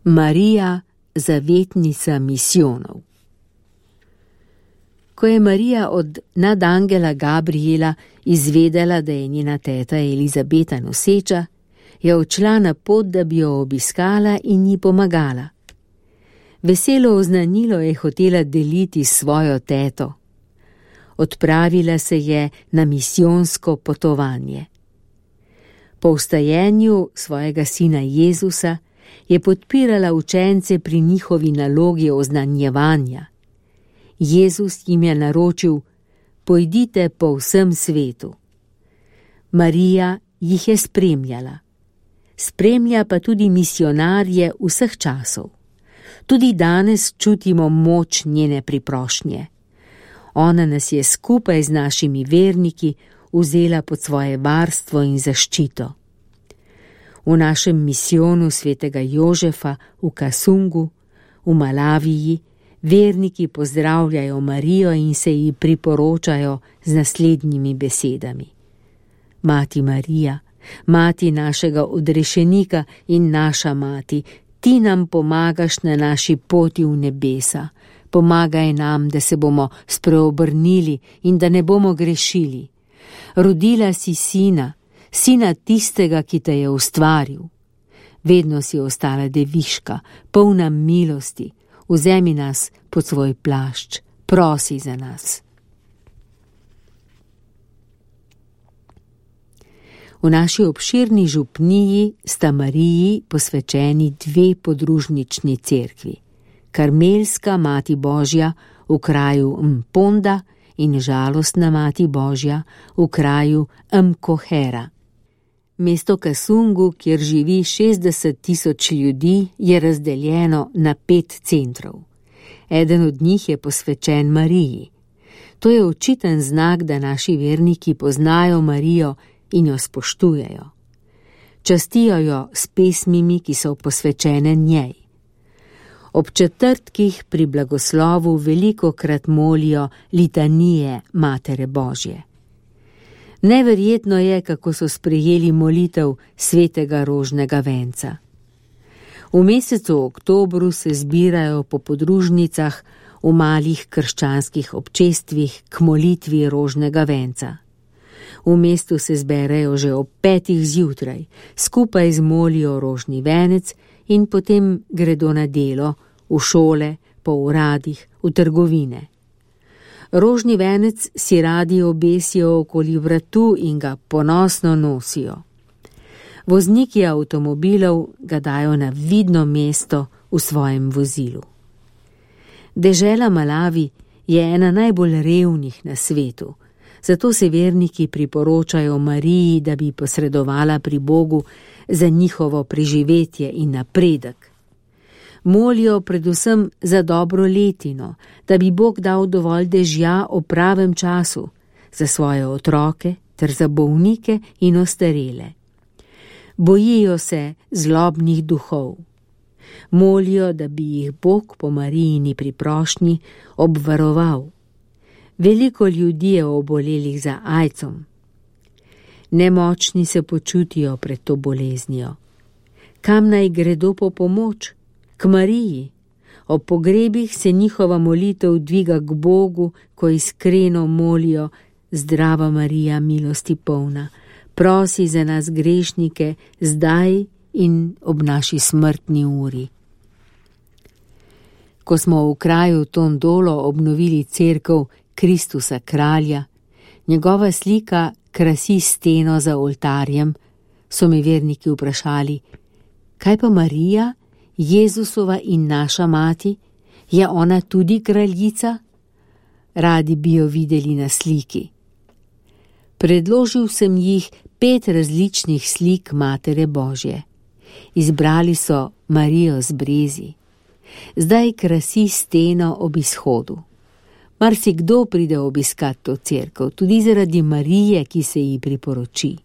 Marija, zavetnica misijonov. Ko je Marija od nadangela Gabriela izvedela, da je njena teta Elizabeta noseča, je odšla na pot, da bi jo obiskala in ji pomagala. Veselo oznanilo je hotela deliti s svojo teto. Odpravila se je na misijonsko potovanje. Po vstajenju svojega sina Jezusa je podpirala učence pri njihovi nalogi oznanjevanja. Jezus jim je naročil: pojdite po vsem svetu. Marija jih je spremljala. Spremlja pa tudi misionarje vseh časov. Tudi danes čutimo moč njene priprošnje. Ona nas je skupaj z našimi verniki vzela pod svoje varstvo in zaščito. V našem misijonu svetega Jožefa v Kasungu, v Malaviji, verniki pozdravljajo Marijo in se ji priporočajo z naslednjimi besedami: Mati Marija, mati našega odrešenika in naša mati, ti nam pomagaš na naši poti v nebesa. Pomagaj nam, da se bomo spreobrnili in da ne bomo grešili. Rodila si sina tistega, ki te je ustvaril. Vedno si ostala deviška, polna milosti. Vzemi nas pod svoj plašč, prosi za nas. V naši obširni župniji sta Mariji posvečeni dve podružnični cerkvi: Karmelska Mati Božja v kraju Mponda in Žalostna Mati Božja v kraju Mkohera. Mesto Kasungu, kjer živi 60,000 ljudi, je razdeljeno na 5 centrov. Eden od njih je posvečen Mariji. To je očiten znak, da naši verniki poznajo Marijo in jo spoštujejo. Častijo jo s pesmimi, ki so posvečene njej. Ob četrtkih pri blagoslovu velikokrat molijo litanije Matere Božje. Neverjetno je, kako so sprejeli molitev svetega rožnega venca. V mesecu oktobru se zbirajo po podružnicah v malih krščanskih občestvih k molitvi rožnega venca. V mestu se zberejo že ob 5 zjutraj, skupaj zmolijo rožni venec in potem gredo na delo, v šole, po uradih, v trgovine. Rožni venec si radi obesijo okoli vratu in ga ponosno nosijo. Vozniki avtomobilov ga dajo na vidno mesto v svojem vozilu. Dežela Malavi je ena najbolj revnih na svetu, zato se verniki priporočajo Mariji, da bi posredovala pri Bogu za njihovo preživetje in napredek. Molijo predvsem za dobro letino, da bi Bog dal dovolj dežja o pravem času, za svoje otroke ter za bolnike in ostarele. Bojijo se zlobnih duhov. Molijo, da bi jih Bog po Marijini priprošnji obvaroval. Veliko ljudi je obolelih za aidsom. Nemočni se počutijo pred to boleznijo. Kam naj gredo po pomoč? K Mariji. Ob pogrebih se njihova molitev dviga k Bogu, ko iskreno molijo: Zdrava Marija, milosti polna, prosi za nas grešnike, zdaj in ob naši smrtni uri. Ko smo v kraju Tondolo obnovili cerkev Kristusa kralja, njegova slika krasi steno za oltarjem, so me verniki vprašali: kaj pa Marija, Jezusova in naša mati, je ona tudi kraljica? Radi bi jo videli na sliki. Predložil sem jih 5 različnih slik Matere Božje. Izbrali so Marijo z brezi. Zdaj krasi steno ob izhodu. Marsikdo pride obiskat to cerkev, tudi zaradi Marije, ki se ji priporoči.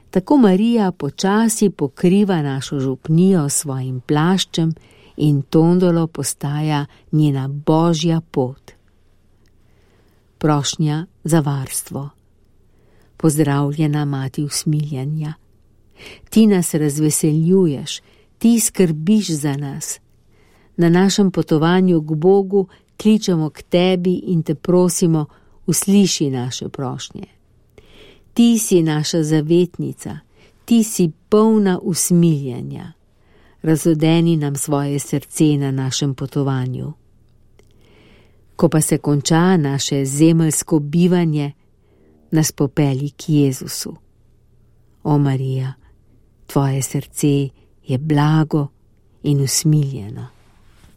Tako Marija počasi pokriva našo župnijo s svojim plaščem in Tondolo postaja njena božja pot. Prošnja za varstvo. Pozdravljena Mati usmiljanja. Ti nas razveseljuješ, Ti skrbiš za nas. Na našem potovanju k Bogu kličemo k tebi in te prosimo, usliši naše prošnje. Ti si naša zavetnica, ti si polna usmiljenja. Razodeni nam svoje srce na našem potovanju. Ko pa se konča naše zemeljsko bivanje, nas popelji k Jezusu. O Marija, tvoje srce je blago in usmiljeno.